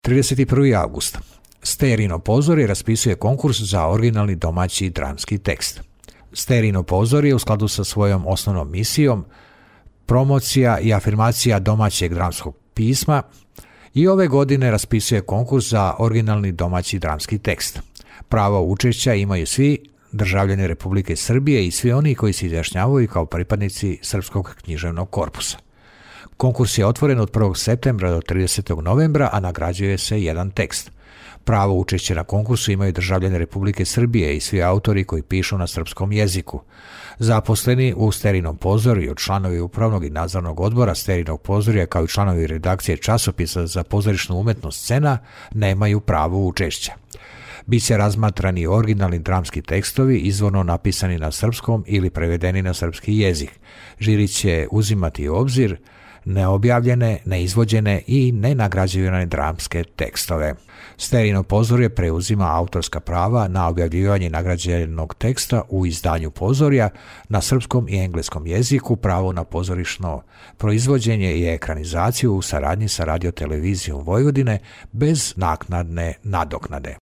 31. august. Sterijino pozorje raspisuje konkurs za originalni domaći dramski tekst. Sterijino pozorje u skladu sa svojom osnovnom misijom promocija i afirmacija domaćeg dramskog pisma i ove godine raspisuje konkurs za originalni domaći dramski tekst. Pravo učešća imaju svi državljani Republike Srbije i svi oni koji se izjašnjavaju kao pripadnici Srpskog književnog korpusa. Konkurs je otvoren od 1. septembra do 30. novembra, a nagrađuje se jedan tekst. Pravo učešće na konkursu imaju državljani Republike Srbije i svi autori koji pišu na srpskom jeziku. Zaposleni u Sterijinom pozorju, članovi upravnog i nadzornog odbora Sterijinog pozorja kao i članovi redakcije časopisa za pozorišnu umetnost Scena nemaju pravo učešća. Biće razmatrani originalni dramski tekstovi izvorno napisani na srpskom ili prevedeni na srpski jezik. Žiri će uzimati u obzir neobjavljene, neizvođene i nenagrađivane dramske tekstove. Sterijino pozorje preuzima autorska prava na objavljivanje nagrađenog teksta u izdanju pozorja na srpskom i engleskom jeziku, pravo na pozorišno proizvođenje i ekranizaciju u saradnji sa Radio-televizijom Vojvodine bez naknadne nadoknade.